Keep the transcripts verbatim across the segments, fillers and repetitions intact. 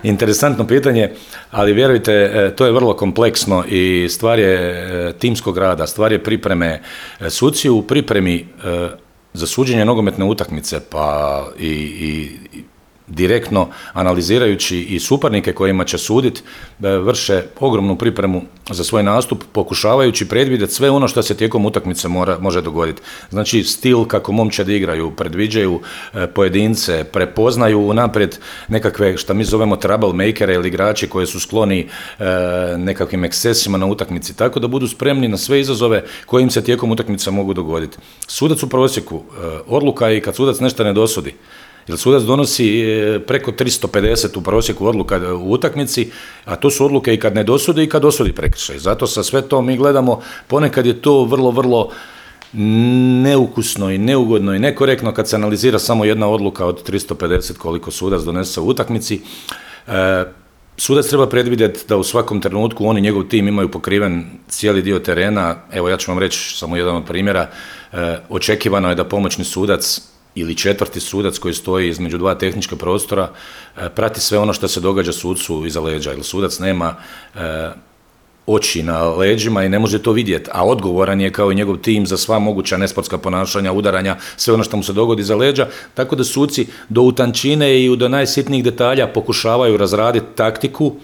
interesantno pitanje, ali vjerujte, to je vrlo kompleksno i stvar je timskog rada, stvar je pripreme. Suci u pripremi za suđenje nogometne utakmice, pa i, i direktno analizirajući i suparnike kojima će suditi, vrše ogromnu pripremu za svoj nastup, pokušavajući predvidjeti sve ono što se tijekom utakmice mora, može dogoditi. Znači, stil kako momčadi igraju, predviđaju pojedince, prepoznaju unaprijed nekakve, što mi zovemo trouble-makere ili igrači koji su skloni nekakvim ekscesima na utakmici, tako da budu spremni na sve izazove koje im se tijekom utakmice mogu dogoditi. Sudac u prosjeku, odluka je i kad sudac nešto ne dosudi. Jer sudac donosi preko tristo pedeset u prosjeku odluka u utakmici, a to su odluke i kad ne dosudi i kad dosudi prekršaj. Zato sa sve to mi gledamo, ponekad je to vrlo, vrlo neukusno i neugodno i nekorektno kad se analizira samo jedna odluka od tristo pedeset koliko sudac donese u utakmici. E, Sudac treba predvidjeti da u svakom trenutku on i njegov tim imaju pokriven cijeli dio terena. Evo, ja ću vam reći samo jedan od primjera. E, očekivano je da pomoćni sudac ili četvrti sudac koji stoji između dva tehnička prostora prati sve ono što se događa sucu iza leđa, jer sudac nema e, oči na leđima i ne može to vidjeti, a odgovoran je kao i njegov tim za sva moguća nesportska ponašanja, udaranja, sve ono što mu se dogodi iza leđa, tako da suci do utančine i do najsitnijih detalja pokušavaju razraditi taktiku,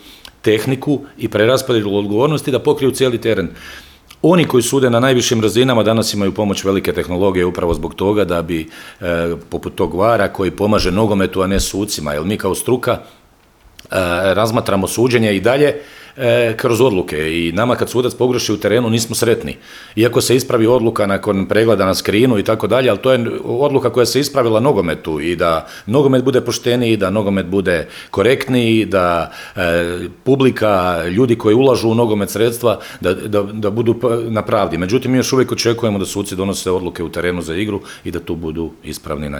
tehniku i preraspodjelu odgovornosti da pokriju cijeli teren. Oni koji sude na najvišim razinama danas imaju pomoć velike tehnologije upravo zbog toga da bi, e, poput tog vara koji pomaže nogometu, a ne sucima, jer mi kao struka e, razmatramo suđenje i dalje e, kroz odluke i nama kad sudac pogreši u terenu nismo sretni. Iako se ispravi odluka nakon pregleda na skrinu i tako dalje, ali to je odluka koja se ispravila nogometu i da nogomet bude pošteniji, da nogomet bude korektniji, da e, publika, ljudi koji ulažu u nogomet sredstva, da, da, da budu na pravdi. Međutim, mi još uvijek očekujemo da suci donose odluke u terenu za igru i da tu budu ispravni i najbolji.